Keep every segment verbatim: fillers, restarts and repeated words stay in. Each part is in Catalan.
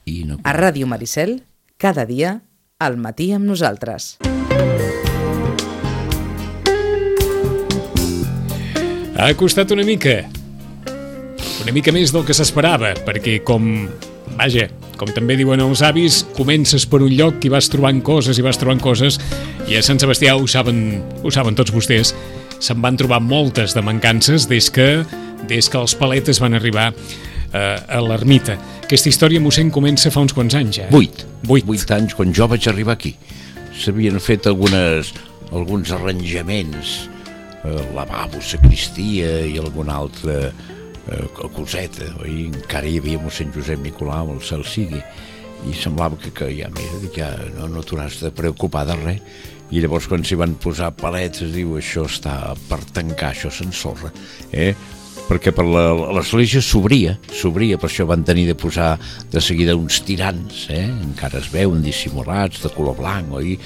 I no... A Ràdio Maricel, cada dia, al matí amb nosaltres. Ha costat una mica, una mica més del que s'esperava, perquè com, vaja, com també diuen els avis, comences per un lloc i vas trobant coses i vas trobant coses, i a Sant Sebastià ho saben, ho saben tots vostès, se'n van trobar moltes de mancances des que, des que els paletes van arribar eh, a l'ermita. Aquesta història, mossèn, comença fa uns quants anys, eh? Vuit. Vuit. Vuit anys, quan jo vaig arribar aquí. S'havien fet algunes, alguns arranjaments, eh, lavabo, sacristia i alguna altra eh, coseta, oi? Encara hi havia mossèn Josep Nicolau, el cel sigui, i semblava que, que ja, mira, ja no, no t'hauràs de preocupar de res. I llavors quan s'hi van posar paletes, diu, això està per tancar, això s'ensorra, eh? Perquè per l'església s'obria, s'obria, per això van tenir de posar de seguida uns tirants, eh? Encara es veuen dissimulats, de color blanc, oi?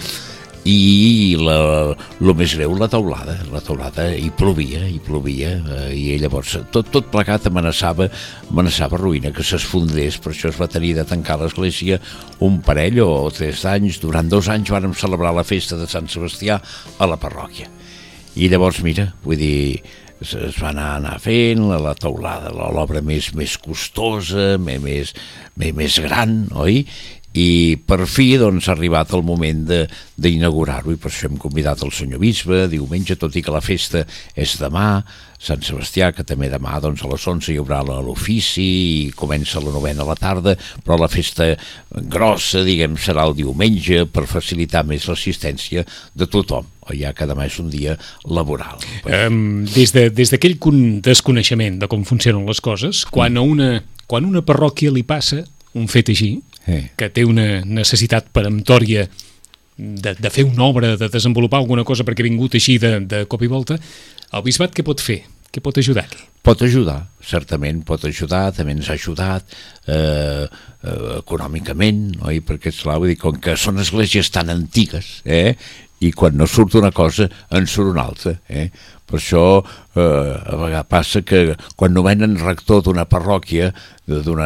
I el més greu, la teulada, la teulada, hi plovia, hi plovia, eh, i llavors tot, tot plegat amenaçava, amenaçava ruïna, que s'esfondés, per això es va tenir de tancar l'església un parell o tres anys. Durant dos anys vàrem celebrar la festa de Sant Sebastià a la parròquia. I llavors, mira, vull dir, es, es va anar, anar fent la, la teulada, l'obra més, més costosa, més, més, més gran, oi? I per fi doncs ha arribat el moment d'inaugurar-ho, i per això hem convidat el senyor bisbe diumenge, tot i que la festa és demà, Sant Sebastià, que també demà doncs, a les onze hi haurà l'ofici i comença la novena a la tarda, però la festa grossa, diguem, serà el diumenge per facilitar més l'assistència de tothom, o ja que demà és un dia laboral. Um, des de, des d'aquell desconeixement de com funcionen les coses, quan a una, quan una parròquia li passa un fet així, Eh. que té una necessitat peremptòria de, de fer una obra, de desenvolupar alguna cosa perquè ha vingut així de, de cop i volta, el bisbat què pot fer? Què pot ajudar aquí? Pot ajudar, certament pot ajudar, també ens ha ajudat eh, eh, econòmicament, oi? Perquè esclar, vull dir, com que són esglésies tan antigues, eh? I quan no surt una cosa en surt una altra, eh? Per això eh, a vegades passa que quan nomenen rector d'una parròquia, d'un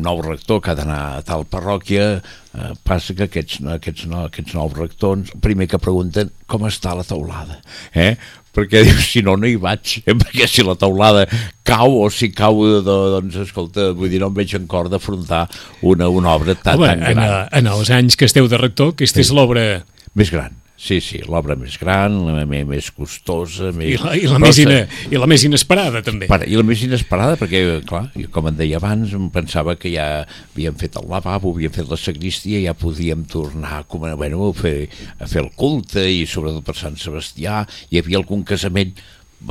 nou rector que ha d'anar a tal parròquia, eh, passa que aquests, aquests, no, aquests nous rectors primer que pregunten com està la teulada, eh? Perquè dius, si no, no hi vaig, eh? Perquè si la teulada cau o si cau, doncs, escolta, vull dir, no em veig en cor d'afrontar una, una obra tan, Home, tan gran. En, en els anys que esteu de rector, aquesta és l'obra més gran. Sí, sí, l'obra més gran, la més costosa... Més... I, la, i, la més ine, I la més inesperada, també. I la més inesperada, perquè, clar, com em deia abans, em pensava que ja havíem fet el lavabo, havíem fet la sagristia, ja podíem tornar com, bueno, a, fer, a fer el culte, i sobretot per Sant Sebastià, hi havia algun casament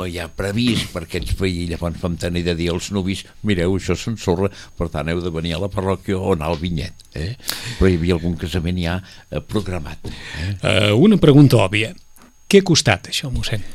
ja previst per aquests veïns. Llavors vam tenir de dir als nuvis, mireu, això s'ensorra, per tant heu de venir a la parròquia o anar al vinyet, eh? Però hi havia algun casament ja eh, programat, eh? Uh, una pregunta òbvia, què ha costat això, mossèn?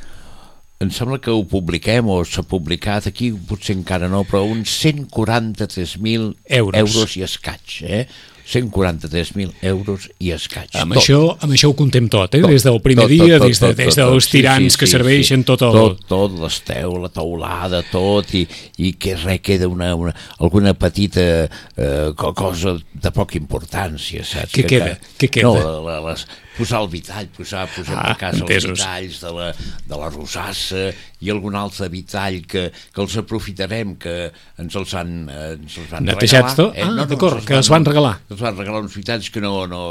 Em sembla que ho publiquem o s'ha publicat aquí, potser encara no, però uns cent quaranta-tres mil euros. euros i escaig, eh? cent quaranta-tres mil euros i escaig. Amb això, amb això ho contem tot, eh? Tot, des del primer tot, dia, tot, des, de, tot, des dels tirants sí, sí, que serveixen sí. tot el... Tot, tot, l'esteu, la teulada, tot, i, i que res queda una, una, alguna petita eh, cosa de poca importància, saps? Què que, queda? Que, Què queda? No, la, les, posar el vitall, posar, posar ah, a casa entesos. Els vitalls de la, de la rosassa i algun altre vitall que, que els aprofitarem, que ens els han, ens els van netejats regalar. Tot? Eh? Ah, no, no, d'acord, que els van regalar. Els van regalar uns vitalls que no, no,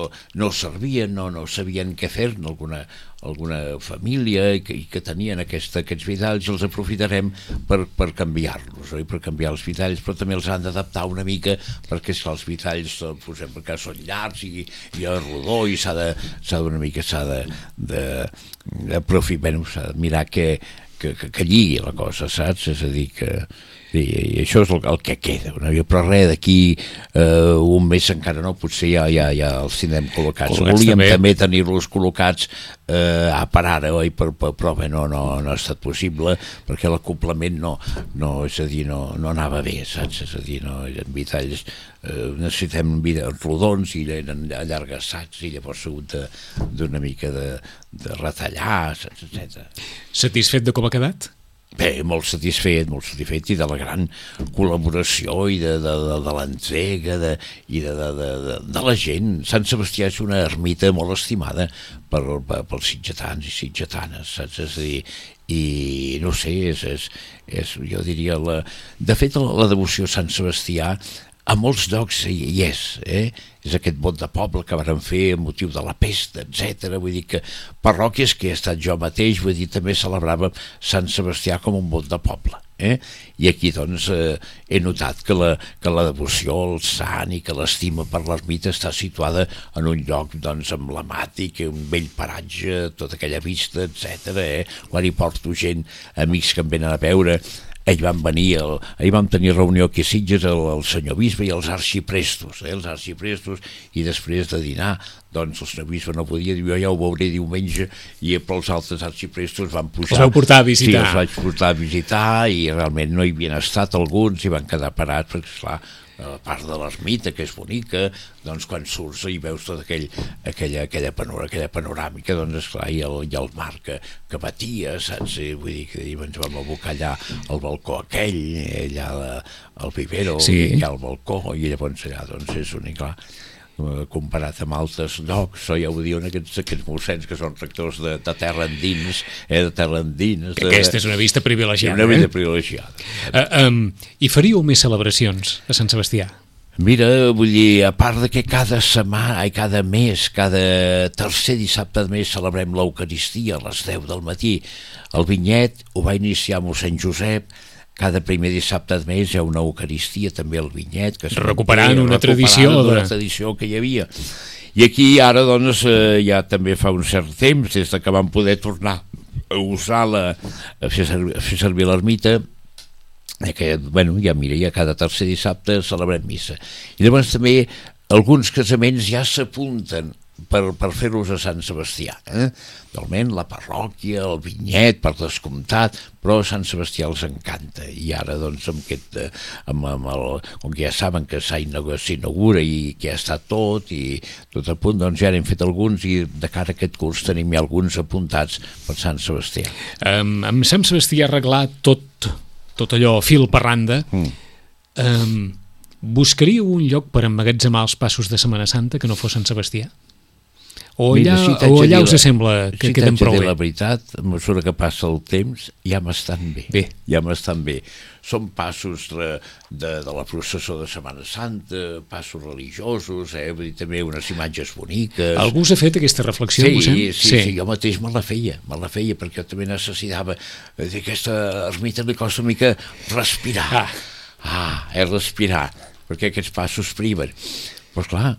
no servien, no, no sabien què fer, alguna, alguna família i que, i que tenien aquesta, aquests vitalls, els aprofitarem per, per canviar-los, oi? Per canviar els vitalls, però també els han d'adaptar una mica, perquè si els vitalls, posem per cas, són llargs i, i a rodó, i s'ha de, s'ha d'una mica, s'ha de, de, de, profi, bueno, s'ha de mirar que, que, que, que lligui la cosa, saps? És a dir, que... I, i això és el, el que queda, no? Però res, d'aquí eh, un mes encara no, potser ja, ja, ja els tindrem col·locats. Col·locats Volíem també, també tenir-los col·locats eh, a per ara, oi? Per, per, però bé, no, no, no ha estat possible, perquè l'acoplament no, no, és a dir, no, no anava bé, saps? És a dir, no, eren vitalls, eh, necessitem vitalls rodons i eren allargassats, i llavors s'ha hagut d'una mica de, de retallar, saps, etcètera. Satisfet de com ha quedat? Bé, molt satisfet, molt satisfet i de la gran col·laboració i de, de, de, de l'entrega de, i de, de, de, de, de la gent. Sant Sebastià és una ermita molt estimada per, per, pels sitgetans i sitgetanes, saps? És a dir, i no sé, és, és, és jo diria, la, de fet la, la devoció a Sant Sebastià a molts llocs hi, hi és, eh? És aquest vot de poble que varen fer amb motiu de la pesta, etcètera. Vull dir que parròquies que he estat jo mateix, vull dir, també celebrava Sant Sebastià com un vot de poble. Eh? I aquí doncs eh, he notat que la, que la devoció al sant i que l'estima per l'ermita està situada en un lloc doncs emblemàtic, un bell paratge, tota aquella vista, etcètera. Eh? Quan hi porto gent, amics que em venen a veure, ahir van venir, el, ahir vam tenir reunió aquí a Sitges, el, el senyor bisbe i els arxiprestos, eh, els arxiprestos, i després de dinar, doncs el senyor bisbe no podia dir, jo ja ho veuré diumenge, i però els altres arxiprestos van pujar. Els vau portar a visitar. Sí, els vaig portar a visitar, i realment no hi havien estat alguns, i van quedar parats, perquè esclar, a part de l'ermita, que és bonica, doncs quan surts i veus tota aquell, aquella, aquella, panora, aquella panoràmica, doncs esclar, i el, i el mar que, que batia, saps? I vull dir que ens vam abocar allà al balcó aquell, allà al vivero, sí. Allà al balcó, i llavors allà doncs és únic, clar, comparat amb altres llocs, ja ho diuen aquests, aquests mossens que són rectors de, de terra endins, eh, de terra endins. De, Aquesta és una vista privilegiada. Una vista eh? privilegiada. Uh, um, I faríeu més celebracions a Sant Sebastià? Mira, vull dir, a part de que cada setmana, cada mes, cada tercer dissabte de mes celebrem l'Eucaristia a les deu del matí. El vinyet ho va iniciar mossèn Josep. Cada primer dissabte de mes hi ha una Eucaristia, també al vinyet, que recuperant manté, una recuperant tradició una de... tradició que hi havia. I aquí ara doncs eh, ja també fa un cert temps, des de que vam poder tornar a usar la, a fer servir, a fer servir l'ermita, que, bueno, ja mira, ja cada tercer dissabte celebrem missa. I llavors també alguns casaments ja s'apunten per, per fer-los a Sant Sebastià, eh? Realment la parròquia, el vinyet, per descomptat, però Sant Sebastià els encanta, i ara doncs amb aquest, amb, amb el, com que ja saben que s'inaugura i que ja està tot i tot a punt, doncs ja n'hem fet alguns i de cara a aquest curs tenim ja alguns apuntats per Sant Sebastià. Um, amb Sant Sebastià arreglat tot, tot allò fil per randa, mm. um, buscaríeu un lloc per emmagatzemar els passos de Setmana Santa que no fos Sant Sebastià? O allà, Mira, si o allà us la, sembla que si queden prou bé? La veritat, a mesura que passa el temps, ja m'estan bé. bé. Ja m'estan bé. Són passos de, de, de la processó de Setmana Santa, passos religiosos, eh? Vull dir, també unes imatges boniques. Algú us ha fet aquesta reflexió? Sí, sí, sí, sí, sí, jo mateix me la feia, me la feia, perquè també necessitava, aquesta ermita li costa una mica respirar. Ah, ah és respirar, perquè aquests passos priven. Però clar,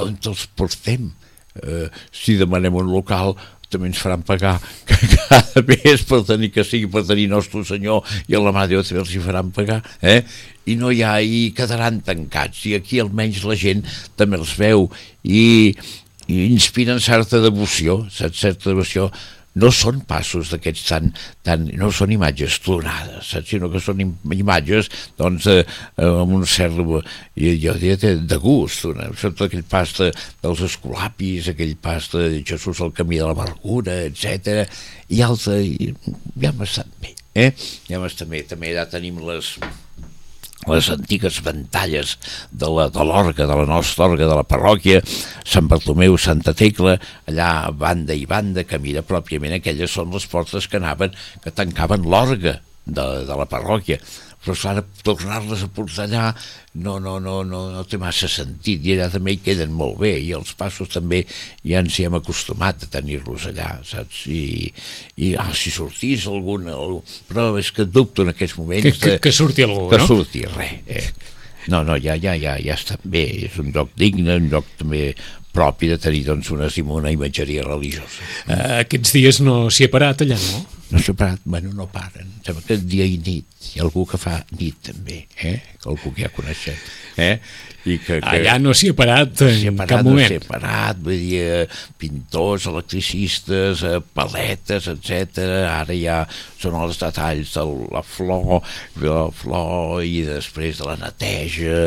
on els portem? Uh, si demanem un local també ens faran pagar cada mes per tenir que sigui per tenir Nostre Senyor i a la Mare de Déu també els hi faran pagar, eh? I no hi ha, i quedaran tancats, i aquí almenys la gent també els veu i, i inspiren certa devoció, certa devoció. No són passos d'aquests tan, tan... no són imatges clonades, saps? Sinó que són imatges, doncs, eh, amb un cert, jo diria, de, de gust, una, tot aquell pas de, dels escolapis, aquell pas de Jesús al camí de l'amargura, etcètera, i altre, i ja m'estan bé, eh? Ja m'estan bé, també ja tenim les... les antigues ventalles de l'orga, de la nostra orga, de la parròquia, Sant Bartomeu, Santa Tecla, allà banda i banda, que mira, pròpiament aquelles són les portes que anaven, que tancaven l'orga de, de la parròquia. Però clar, tornar-les a portar allà no, no, no, no, no té massa sentit, i allà també hi queden molt bé, i els passos també ja ens hi hem acostumat a tenir-los allà, saps? I, i ah, si sortís algun, algun... però és que dubto en aquests moments que, que, que surti algú, que no? Que surti res, eh? No, no, ja, ja, ja, ja està bé, és un lloc digne, un lloc també propi de tenir doncs, una, una imatgeria religiosa. Uh, aquests dies no s'hi ha parat allà, no? No s'ha parat, bueno, no paren. Sembla que dia i nit, hi ha algú que fa nit també, eh? Algú que ja coneixem, eh? I que, que allà no s'hi ha parat en no parat, cap moment. No s'hi ha parat, vull dir, pintors, electricistes, paletes, etcètera. Ara ja són els detalls de la flor, de la flor i després de la neteja,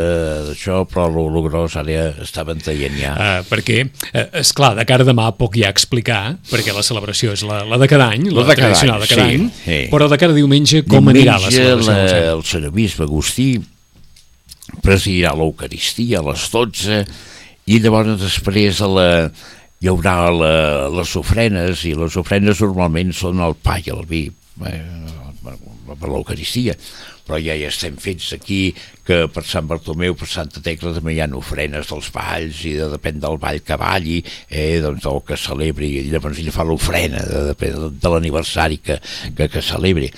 d'això, però el, el gros ara ja estaven traient ja. Uh, perquè, uh, esclar, de cara a demà poc hi ha a explicar, perquè la celebració és la, la de cada any, la, la tradicional tradicional de cada sí, any, sí. però de cada diumenge com anirà la celebració? Diumenge el senyor bisbe Agustí presidirà l'Eucaristia a les dotze i llavors després a la, hi haurà la, les ofrenes, i les ofrenes normalment són el pa i el vi eh, per l'Eucaristia, però ja hi estem fets aquí que per Sant Bartomeu, per Santa Tecla també hi ha ofrenes dels balls i de, depèn del ball que balli, eh, doncs, o que celebri, i llavors ell fa l'ofrena de, de, de l'aniversari que, que, que celebri.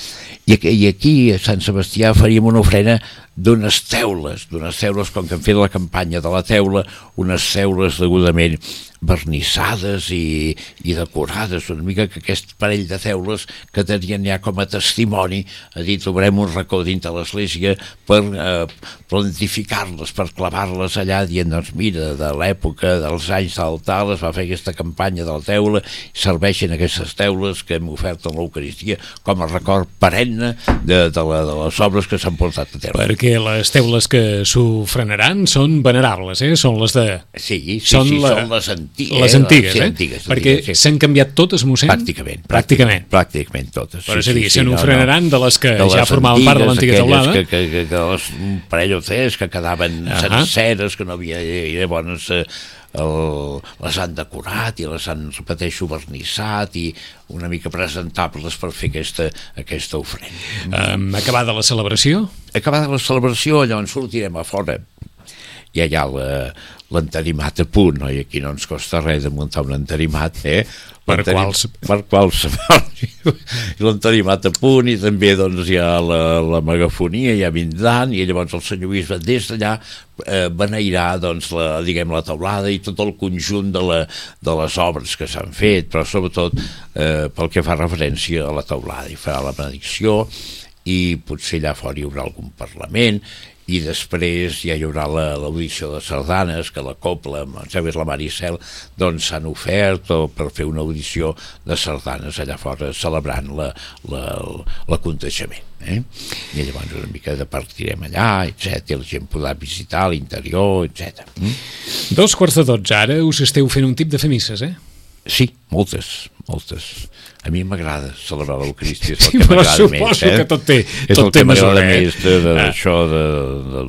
I, I aquí a Sant Sebastià faríem una ofrena d'unes teules, d'unes teules, com que hem fet la campanya de la teula, unes teules degudament vernissades i, i decorades, una mica que aquest parell de teules que tenien ja com a testimoni, ha dit, obrem un racó dintre l'església per eh, plantificar-les, per clavar-les allà, dient, doncs mira, de l'època dels anys del tal, es va fer aquesta campanya de la teula, i serveixen aquestes teules que hem ofert en l'Eucaristia com a record perenne de, de, la, de les obres que s'han portat a terme. Perquè les teules que s'ofrenaran són venerables, eh? Són les de... Sí, sí, són sí, la... són les antigues. Les antigues, sí, eh? antigues, perquè antigues, sí. S'han canviat totes, mossèn? Pràcticament. Pràcticament. Pràcticament totes. Però sí, és a dir, sí, se n'ofrenaran no, no. de les que de les ja formaven part de l'antiga teulada. Que, que, que, que les, un parell o tres que quedaven uh -huh. senceres, que no havia... I llavors eh, el, les han decorat i les han, repeteixo, vernissat i una mica presentables per fer aquesta, aquesta ofrena. Um, acabada la celebració? Acabada la celebració, llavors sortirem a fora. I allà l'entarimat a punt, no? I aquí no ens costa res de muntar un entarimat, eh? Per quals... Per qualsevol. L'entarimat a punt, i també doncs hi ha la, la megafonia, ja vindran, i llavors el senyor bisbe des d'allà eh, beneirà doncs, la, diguem, la teulada i tot el conjunt de, la, de les obres que s'han fet, però sobretot eh, pel que fa referència a la teulada, i farà la benedicció, i potser allà fora hi haurà algun parlament, i després ja hi haurà l'audició de sardanes, que la Copla, amb el la Maricel, doncs s'han ofert o per fer una audició de sardanes allà fora, celebrant l'aconteixement. Eh? I llavors una mica de partirem allà, etcètera, la gent podrà visitar l'interior, etcètera. Mm? Dos quarts de dotze, ara us esteu fent un tip de fer misses, eh? Sí, moltes, moltes. A mi m'agrada celebrar l'Eucaristia, és el sí, que m'agrada més. Suposo eh? que tot té, és tot el té que m'agrada mesura, eh? més d'això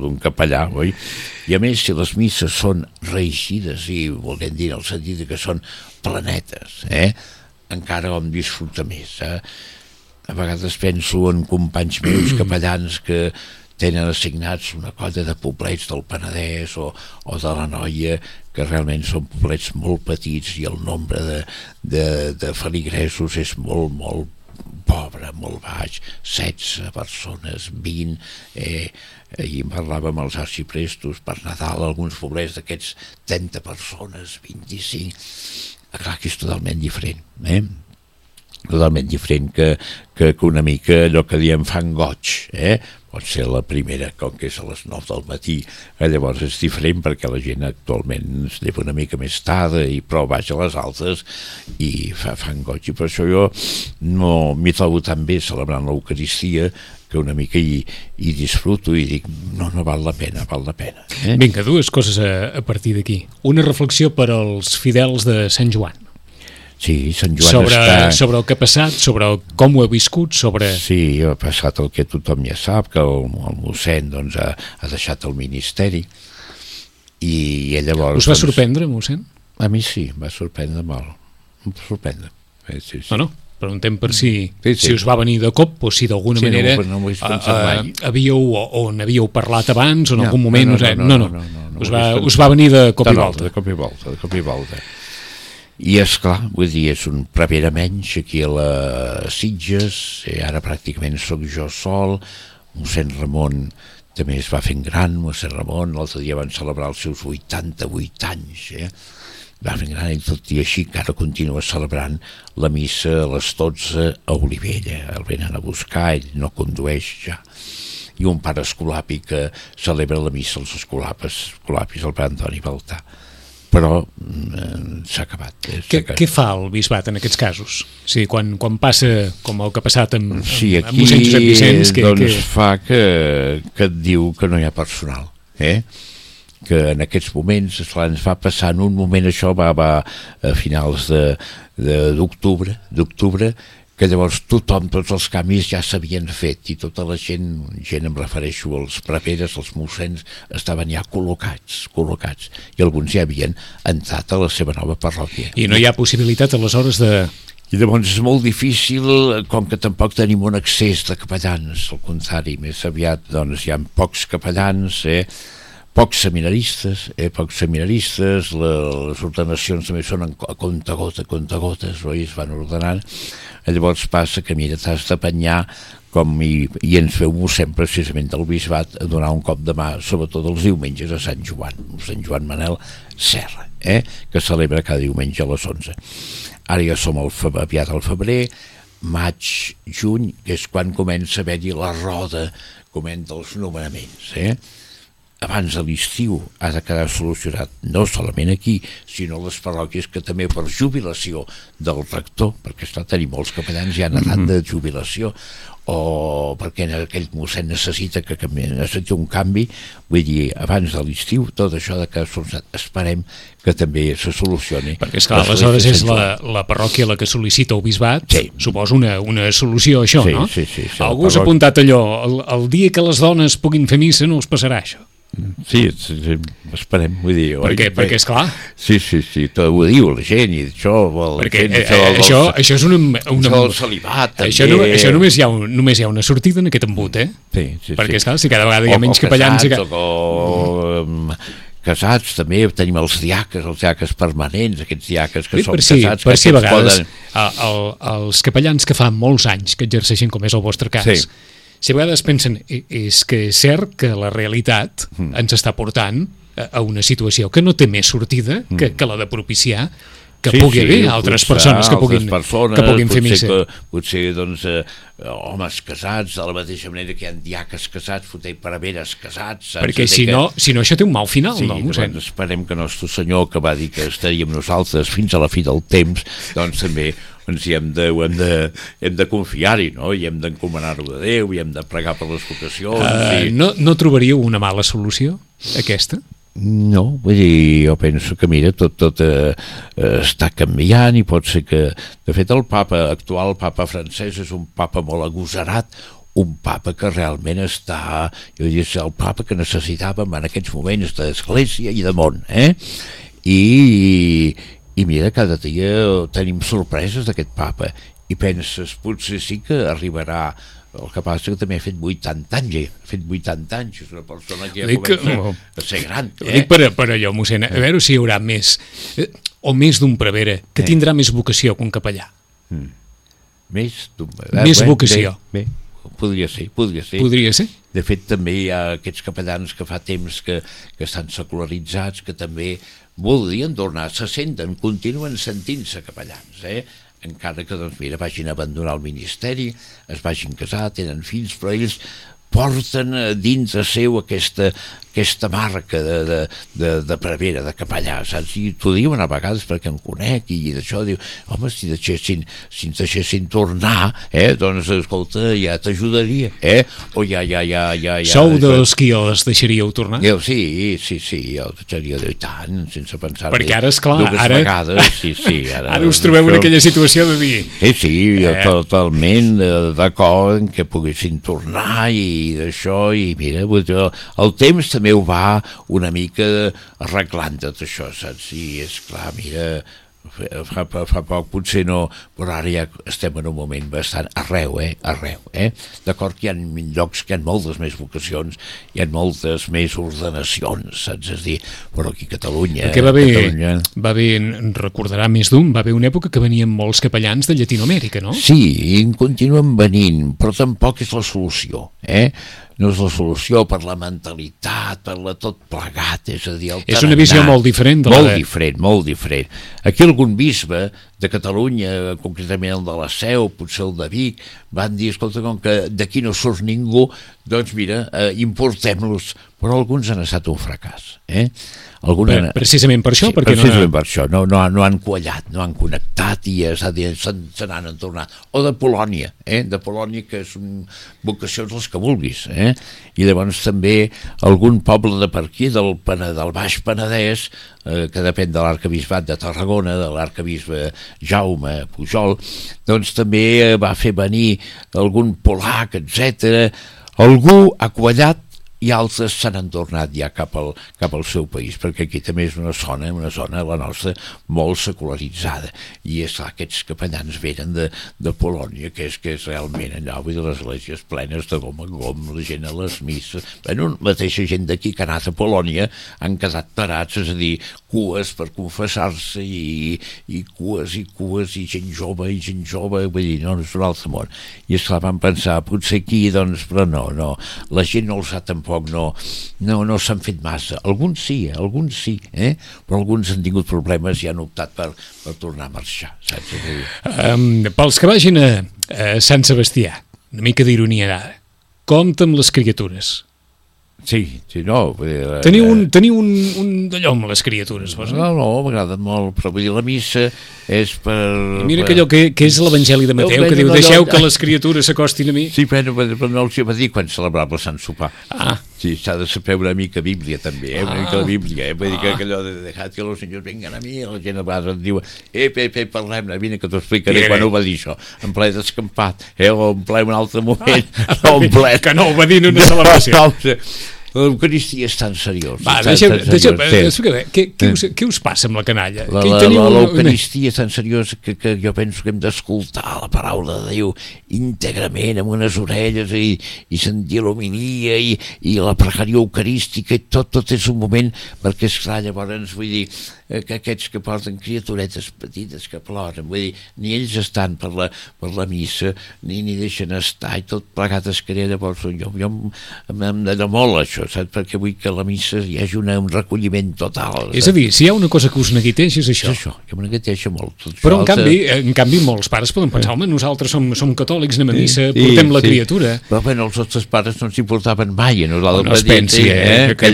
d'un capellà, oi? I a més, si les misses són reeixides, i volem dir en el sentit que són planetes, eh? encara hom disfruta més. Eh? A vegades penso en companys meus capellans que tenen assignats una colla de poblets del Penedès o, o de la Noia, que realment són poblets molt petits i el nombre de, de, de feligresos és molt, molt pobre, molt baix, setze persones, vint, eh, ahir en parlàvem amb els arxiprestos per Nadal, alguns poblets d'aquests trenta persones, vint-i-cinc, clar que és totalment diferent, eh? totalment diferent que, que, que una mica allò que diem fan goig, eh? pot ser la primera, com que és a les nou del matí, eh, llavors és diferent perquè la gent actualment es lleva una mica més tard i prou baix a les altes i fa, fan goig, i per això jo no m'hi trobo tan bé celebrant l'Eucaristia, que una mica hi, hi disfruto i dic, no, no val la pena, val la pena. Eh? Vinga, dues coses a, a partir d'aquí. Una reflexió per als fidels de Sant Joan. Sí, Sant Joan sobre, està... sobre el que ha passat, sobre com ho ha viscut, sobre... Sí, ha passat el que tothom ja sap, que el, el mossèn doncs, ha, ha deixat el ministeri, i, i llavors... Us va doncs, sorprendre, mossèn? A mi sí, va sorprendre molt. Em va sorprendre. Eh, sí, sí. No, no, preguntem per si, sí, sí. si us va venir de cop o si d'alguna sí, manera no, no m'ho he pensat mai. uh, havíeu, o, o n'havíeu parlat abans o en no, algun moment... No, no, no, no, no, no, no, no, us, va, us va venir de cop i volta. De cop i volta, de cop i volta. I és clar, vull dir, és un prevere menys aquí a les Sitges, eh, ara pràcticament sóc jo sol, mossèn Ramon també es va fent gran, mossèn Ramon, l'altre dia van celebrar els seus vuitanta-vuit anys, eh? va fent gran, i tot i així encara continua celebrant la missa a les dotze a Olivella, el venen a buscar, ell no condueix ja, i un pare escolapi que celebra la missa als escolapis, escolapis el pare Antoni Baltà. Però eh, s'ha acabat. Eh, què, què fa el bisbat en aquests casos? O sigui, quan, quan passa com el que ha passat amb, sí, amb, amb mossèn Josep Vicenç... Que, doncs que... fa que, que et diu que no hi ha personal, eh? que en aquests moments, esclar, ens va passar en un moment, això va, va a finals d'octubre, d'octubre, que llavors tothom, tots els canvis ja s'havien fet i tota la gent, gent em refereixo als preveres, als mossens, estaven ja col·locats, col·locats, i alguns ja havien entrat a la seva nova parròquia. I no hi ha possibilitat aleshores de... I llavors és molt difícil, com que tampoc tenim un excés de capellans, al contrari, més aviat doncs hi ha pocs capellans, eh? pocs seminaristes, eh? pocs seminaristes, la, les ordenacions també són a compte-gota, a compte-gotes, oi? Es van ordenant. Llavors passa que, mira, t'has d'apanyar com i, i ens feu mossèn precisament del bisbat a donar un cop de mà, sobretot els diumenges a Sant Joan, Sant Joan Manel Serra, eh? que celebra cada diumenge a les onze. Ara ja som al, aviat al febrer, maig, juny, que és quan comença a haver-hi la roda, comenta els nomenaments, eh? Abans de l'estiu ha de quedar solucionat no solament aquí, sinó les parròquies que també per jubilació del rector, perquè està tenir molts capellans ja han anat de jubilació, o perquè aquell mossèn necessita que necessita un canvi, vull dir, abans de l'estiu tot això de que esperem que també se solucioni. Perquè esclar, aleshores és la, la parròquia la que sol·licita el bisbat, sí. Suposo una, una solució a això, sí, no? Sí, sí, sí, algú s'ha apuntat allò, el, el dia que les dones puguin fer missa no els passarà això. Sí, sí, esperem, vull dir... Perquè, oi? Perquè esclar... Sí, sí, sí, tot ho diu la gent i això... Vol, perquè gent, eh, això, vol, això, això és una... una el celibat, també... Això, no, això només, hi ha un, només hi ha una sortida en aquest embut, eh? Sí, sí, perquè, sí. esclar, si cada vegada hi ha o, menys o capellans... Casats, o, o um, casats, també tenim els diaques, els diaques permanents, aquests diaques que sí, són si, casats... Per que si a vegades poden... el, el, els capellans que fa molts anys que exerceixen, com és el vostre cas... Sí. Si a vegades pensen, és que és cert que la realitat mm. ens està portant a una situació que no té més sortida que, que la de propiciar que sí, pugui sí, haver altres persones que puguin, persones, que puguin fer missa. Que, potser doncs, eh, homes casats, de la mateixa manera que hi ha diaques casats, fotem preveres casats... Perquè si, que... no, si no això té un mal final, sí, no, mossèn? Doncs esperem que nostre senyor, que va dir que estaríem nosaltres fins a la fi del temps, doncs també ens hi hem de, hem de, hem de confiar-hi, no? I hem d'encomanar-ho de Déu, i hem de pregar per les vocacions... Uh, i... no, no trobaríeu una mala solució, aquesta? No, vull dir, jo penso que mira, tot, tot eh, està canviant i pot ser que, de fet, el papa actual, el papa francès, és un papa molt agosarat, un papa que realment està, jo diria, és el papa que necessitàvem en aquests moments d'església i de món, eh? I, i mira, cada dia tenim sorpreses d'aquest papa i penses, potser sí que arribarà. El que passa que també ha fet vuitanta anys, eh? ha fet vuitanta anys, és una persona que ja dic comença que, a ser gran. Eh? Dic per, per allò, mossèn, a veure si hi haurà més, eh, o més d'un prevere, que eh. tindrà més vocació que un capellà. Mm. Més d'un prevere? Més bé, vocació. Bé, bé, podria ser, podria ser. Podria ser. De fet, també hi ha aquests capellans que fa temps que, que estan secularitzats, que també voldrien tornar, se senten, continuen sentint-se capellans, eh? encara que, doncs, mira, vagin a abandonar el ministeri, es vagin casar, tenen fills, però ells porten dins de seu aquesta, aquesta marca de, de, de, de prevera, de capellà, saps? I t'ho diuen a vegades perquè em conec i d'això diu, home, si, deixessin, si ens deixessin tornar, eh, doncs, escolta, ja t'ajudaria, eh? O ja, ja, ja, ja... ja Sou dels qui els deixaríeu tornar? Jo, sí, sí, sí, jo els deixaria de tant, sense pensar... Perquè ara, esclar, ara... Vegades, sí, sí, ara, ara us trobeu en aquella situació de dir... Sí, sí, jo eh... totalment d'acord en que poguessin tornar i d'això, i mira, el temps també ho va una mica arreglant tot això, saps? I és clar, mira, fa, fa poc potser no, però ara ja estem en un moment bastant arreu, eh? Arreu, eh? D'acord que hi ha llocs que hi ha moltes més vocacions, hi ha moltes més ordenacions, saps? És dir, però aquí a Catalunya... Perquè va haver, Catalunya... va haver, recordarà més d'un, va haver una època que venien molts capellans de Llatinoamèrica, no? Sí, i continuen venint, però tampoc és la solució, eh? No és la solució per la mentalitat, per la tot plegat, és a dir... El és una visió molt diferent. De molt la de... diferent, molt diferent. Aquí algun bisbe de Catalunya, concretament el de la Seu, potser el de Vic, van dir, escolta, com que d'aquí no surt ningú, doncs mira, eh, importem-los, però alguns han estat un fracàs, eh? Alguna... Per, precisament per això? Sí, precisament no... per això, no, no, no han quallat, no han connectat i ja se n'han tornat. O de Polònia, eh? de Polònia, que són vocacions les que vulguis, eh? I llavors també algun poble de per aquí, del, del Baix Penedès, eh, que depèn de l'arcabisbat de Tarragona, de l'arcabisbe Jaume Pujol, doncs també va fer venir algun polac, etcètera. Algú ha quallat i altres se n'han tornat ja cap al, cap al seu país, perquè aquí també és una zona, una zona, la nostra, molt secularitzada, i és clar, aquests capellans venen de, de Polònia, que és, que és realment allà, vull dir, les esglésies plenes de gom a gom, la gent a les misses, bueno, la mateixa gent d'aquí que ha anat a Polònia han quedat parats, és a dir, cues per confessar-se, i, i cues i cues, i gent jove, i gent jove, vull dir, no, és un altre món. I és clar, vam pensar, potser aquí, doncs, però no, no, la gent no els ha tampoc no, no, no s'han fet massa. Alguns sí, alguns sí, eh? Però alguns han tingut problemes i han optat per, per tornar a marxar, saps? Um, pels que vagin a, a Sant Sebastià, una mica d'ironia ara, compta amb les criatures. Sí, sí, no. Eh, teniu un, teniu un, un d'allò amb les criatures, vos? No, no, m'agrada molt, però vull dir, la missa és per... I mira per... que allò que, que és l'Evangeli de Mateu, que diu, deixeu que les criatures s'acostin a mi. Sí, però, però no els hi va dir quan celebrava el Sant Sopar. Ah. Sí, s'ha de saber una mica Bíblia també, eh? Una mica la Bíblia, eh? Vull dir que allò de dejar que els senyors vengan a mi, la gent a vegades et diu, ep, ep, ep, parlem-ne, vine que t'ho explicaré quan ho va dir això, en ple descampat, eh? O en ple un altre moment, ah, no en ple... Que no ho va dir en una celebració. L'Eucaristia és tan seriós. Va, deixeu, deixeu, deixeu, què, què, us, què us passa amb la canalla? L'Eucaristia és tan seriós que, que jo penso que hem d'escoltar la paraula de Déu íntegrament amb unes orelles i, i sentir l'homilia i, i la pregària eucarística i tot, tot és un moment, perquè esclar, llavors vull dir que aquests que porten criaturetes petites que ploren, vull dir, ni ells estan per la, per la missa ni, ni deixen estar i tot plegat es crea. Llavors jo, jo m'hem de molt això, saps? Perquè vull que a la missa hi hagi una, un recolliment total, saps? És a dir, si hi ha una cosa que us neguiteja és això. És això, que em neguiteja molt. Però en canvi, en canvi molts pares poden pensar, home, nosaltres som, som catòlics, anem a missa, sí, portem la sí. criatura. Però bueno, els nostres pares no s'hi portaven mai, a nosaltres. No es pensi, eh? eh? Que,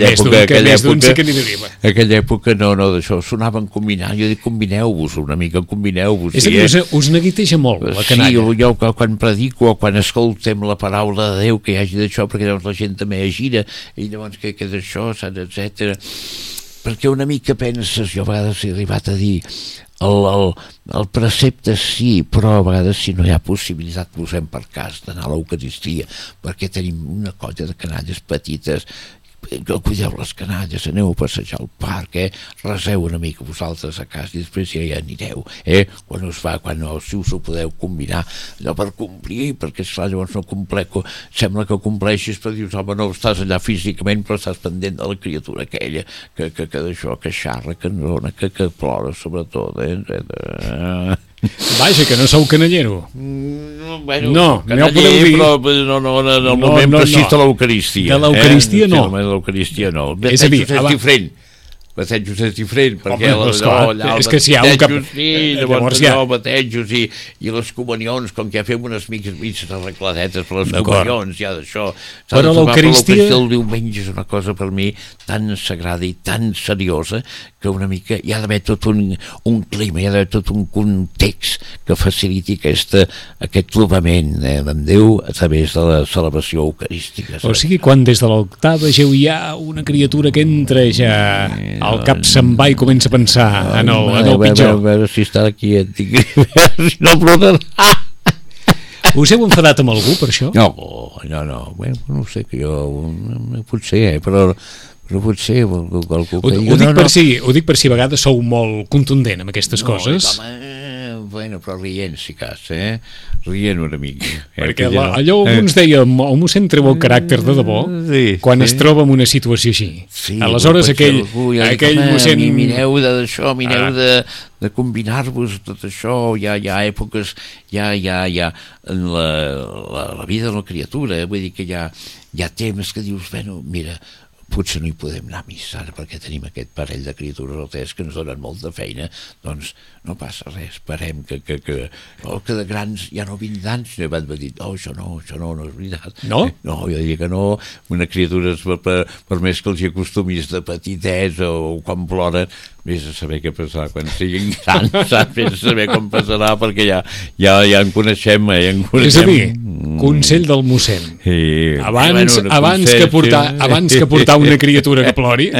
que més d'un sí que n'hi deriva. Aquella època no, no, d'això sonaven combinar, jo dic combineu-vos una mica, combineu-vos. És a dir, us, us neguiteja molt la canalla. Sí, jo quan predico o quan escoltem la paraula de Déu que hi hagi d'això, perquè llavors la gent també es gira i llavors què és això, saps, etcètera. Perquè una mica penses, jo a vegades he arribat a dir el, el, el precepte sí, però a vegades si no hi ha possibilitat posem per cas d'anar a l'Eucaristia, perquè tenim una colla de canalles petites. Cuideu les canalles, aneu a passejar al parc, eh? Reseu una mica vosaltres a casa i després ja hi anireu, eh? Quan us va, quan si us ho podeu combinar allò per complir, perquè esclar llavors no compleco, sembla que compleixis però dius, home, no estàs allà físicament però estàs pendent de la criatura aquella que, que, que d'això, que xarra, que enrona, que, que plora sobretot, eh? etcètera. Vaja, que no sou canallero. Mm, bueno, no, canaller, no podeu dir. Però no, no, en el no, moment no, precís no. de l'Eucaristia. De l'Eucaristia eh? no. Sí, de l'Eucaristia no. És a dir, és diferent. Batejos és diferent, perquè home, la, esclar, allà, és que si hi ha un cap... sí, llavors ja... batejos i, i les comunions, com que ja fem unes miques misses arregladetes per les comunions, ja d'això. Però l'Eucaristia... El diumenge és una cosa per mi tan sagrada i tan seriosa que una mica hi ha d'haver tot un, un clima, hi ha d'haver tot un context que faciliti aquesta, aquest trobament eh, amb Déu a través de la celebració eucarística. O sigui, quan des de l'altar vegeu hi ha una criatura que entra ja... El cap se'n va i comença a pensar en el, en el pitjor. A veure si està aquí, si no plorarà. Us heu enfadat amb algú per això? No, no, no, bueno, no sé, que jo potser, eh, però, però potser algú que ho, ho, dic no, per no. Si, ho dic per si a vegades sou molt contundent amb aquestes no, coses. Home, bueno, però rient si cas, eh? Rient una mica. Eh? Perquè la, allò algú ens deia, el mossèn treu el caràcter de debò sí, quan sí. es troba en una situació així. Sí, aleshores aquell, algú, ja aquell dic, mossèn... Mireu d'això, mireu ah. de, de combinar-vos tot això, hi ha, hi ha èpoques, hi ha, hi ha, hi ha en la, la, la vida de la criatura, eh? Vull dir que hi ha, hi ha temes que dius, bueno, mira, potser no hi podem anar a missa ara perquè tenim aquest parell de criatures alters que ens donen molta feina, doncs no passa res, esperem que, que, que, oh, que de grans ja no vindran, si no van dir, oh, això no, això no, no és veritat. No? Eh, no, jo diria que no, una criatura, per, per, per més que els hi acostumis de petitets o quan ploren, vés a saber què passarà quan siguin grans, saps? Vés a saber com passarà, perquè ja, ja, ja en coneixem, eh? Ja en coneixem. És a dir, consell del mossèn. Sí. Abans, bueno, abans, consell, que portar, sí. abans que portar una criatura que plori,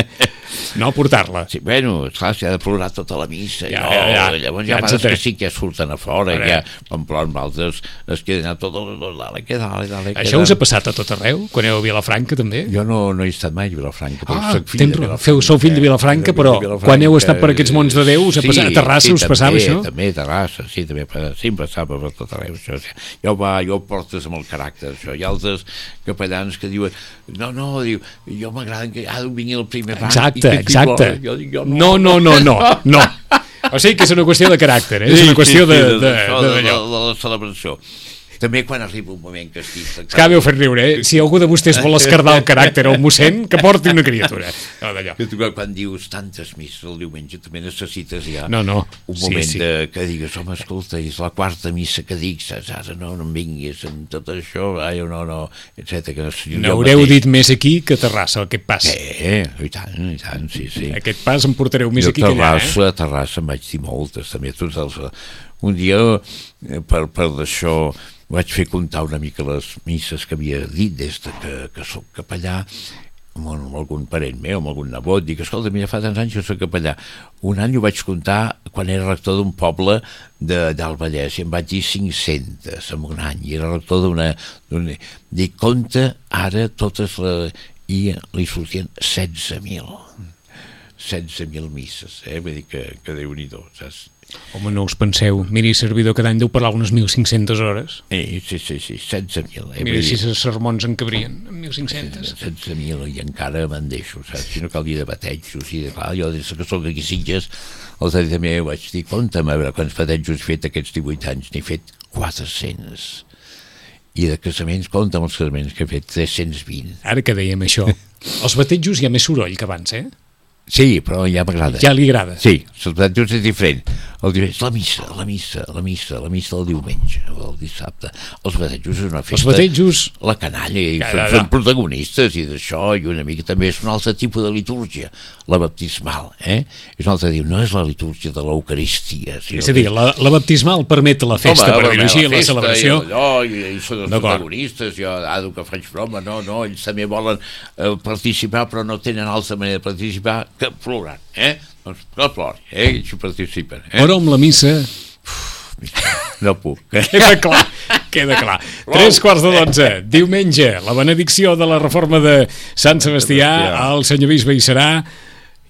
no portar-la. Sí, bueno, clar, s'ha de plorar tota la missa. Ja, no, ja, ja. Llavors hi ha Ja vegades ens que sí que surten a fora, Ara. que ja, quan ploren altres, es queden a tot el... Dale, que dale, dale, que Això dale. us ha passat a tot arreu? Quan heu a Vilafranca, també? Jo no, no he estat mai a Vilafranca, però Ah, soc fill tens de raó. Vilafranca. Feu, sou fill de Vilafranca, però quan heu estat per aquests mons de Déu, us ha passat, a Terrassa sí, us passava també, això? També, a Terrassa, sí, també, sí, em passava per tot arreu, això. Sí. Jo, va, jo ho portes amb el caràcter, això. Hi ha altres capellans que diuen, no, no, diu, jo m'agrada que ha de venir el primer banc. Exacte, exacte. Jo dic, jo no, no, no, no, no. O sigui que és una qüestió de caràcter, eh? És una qüestió de, de, de, de, de, de, de la celebració. També quan arriba un moment que estic... És que m'heu fet riure, eh? Si algú de vostès vol escardar el caràcter al mossèn, que porti una criatura. No, d'allò. Que tu, quan dius tantes misses el diumenge, també necessites ja no, no. un moment sí, sí. De, que digues, home, escolta, és la quarta missa que dic, saps? Ara no, no em vinguis amb tot això, ai, no, no, etcètera. N'haureu dit més aquí que a Terrassa, aquest pas. Eh, i tant, i tant, sí, sí. Aquest pas em portareu més jo aquí que allà, eh? Jo a Terrassa em vaig dir moltes, també, tots els... Un dia, per, per d'això, vaig fer comptar una mica les misses que havia dit des de que, que soc capellà, amb, amb algun parent meu, amb algun nebot, dic, escolta, mira, fa tants anys que soc capellà. Un any ho vaig comptar quan era rector d'un poble de, del Vallès, i em vaig dir cinc-centes en un any, i era rector d'una... Dic, compta ara totes les... I li sortien setze mil. setze mil misses, eh? Vull dir que, que Déu-n'hi-do, saps? Home, no us penseu. Miri, servidor cada any deu parlar unes mil cinc-centes hores. Eh, sí, sí, sí, setze mil. Eh? Mira si els sermons en cabrien, amb mil cinc-centes. setze mil, i encara me'n deixo, saps? Si no cal dir de batejos, i de clar, jo des que soc aquí a Sitges, els de també vaig dir, compta'm, a veure, quants batejos he fet aquests divuit anys, n'he fet quatre-cents. I de casaments, compta'm els casaments que he fet, tres-cents vint. Ara que dèiem això, els batejos hi ha més soroll que abans, eh? Sí, però ja m'agrada. Ja li agrada. Sí, els batejos és diferent. El divendres, la missa, la missa, la missa, la missa del diumenge, o el dissabte. Els batejos és una festa... Els batejos... La canalla, i Ja, són, ja, ja. són protagonistes, i d'això, i una mica també és un altre tipus de litúrgia, la baptismal, eh? És un altre, diu, no és la litúrgia de l'Eucaristia. Sinó És a dir, la, la baptismal permet la festa, home, per dir-ho així, la celebració. I, allò, i, i són els protagonistes, jo ado que faig broma, no, no, ells també volen eh, participar, però no tenen altra manera de participar que plorant, eh? Doncs que plori, eh? Ells hi participen, eh? Però amb la missa... No puc. Queda clar, queda clar. Tres quarts de dotze, diumenge, la benedicció de la reforma de Sant Sebastià, el senyor bisbe hi serà,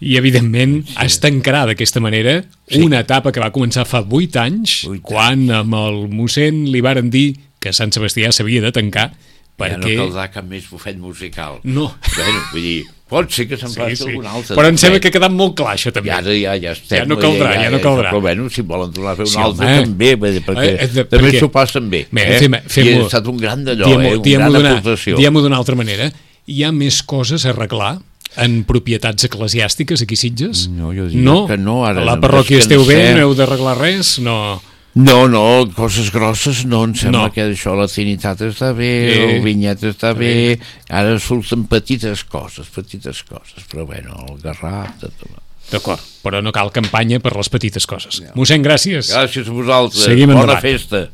i evidentment sí. Es tancarà d'aquesta manera sí. Una etapa que va començar fa vuit anys, vuit quan amb el mossèn li varen dir que Sant Sebastià s'havia de tancar, perquè... Ja no caldrà cap més bufet musical. No. Bueno, vull dir, pot ser que se'n sí, faci sí. algun altre. Però em sembla que ha quedat molt clar, això també. I ara ja, ja estem... Ja no caldrà, ja, ja no caldrà. Però bueno, si volen tornar a fer un sí, altre, home. també, perquè eh, eh, també perquè... s'ho passen bé. bé eh? fem, fem I ha estat un gran d'allò, eh? Un gran aportació. Diem-ho d'una altra manera. Hi ha més coses a arreglar en propietats eclesiàstiques aquí a Sitges? No, jo diria no? que no. Ara a la no parròquia esteu bé, sé. no heu d'arreglar res? No... No, no, coses grosses no, em sembla no. que això, la Trinitat està bé, eh, el Vinyet està bé, bé, ara surten petites coses, petites coses, però bueno, el Garraf... Tot... D'acord, però no cal campanya per les petites coses. Ja. Mossèn, gràcies. Gràcies a vosaltres, Seguim bona endavant. festa.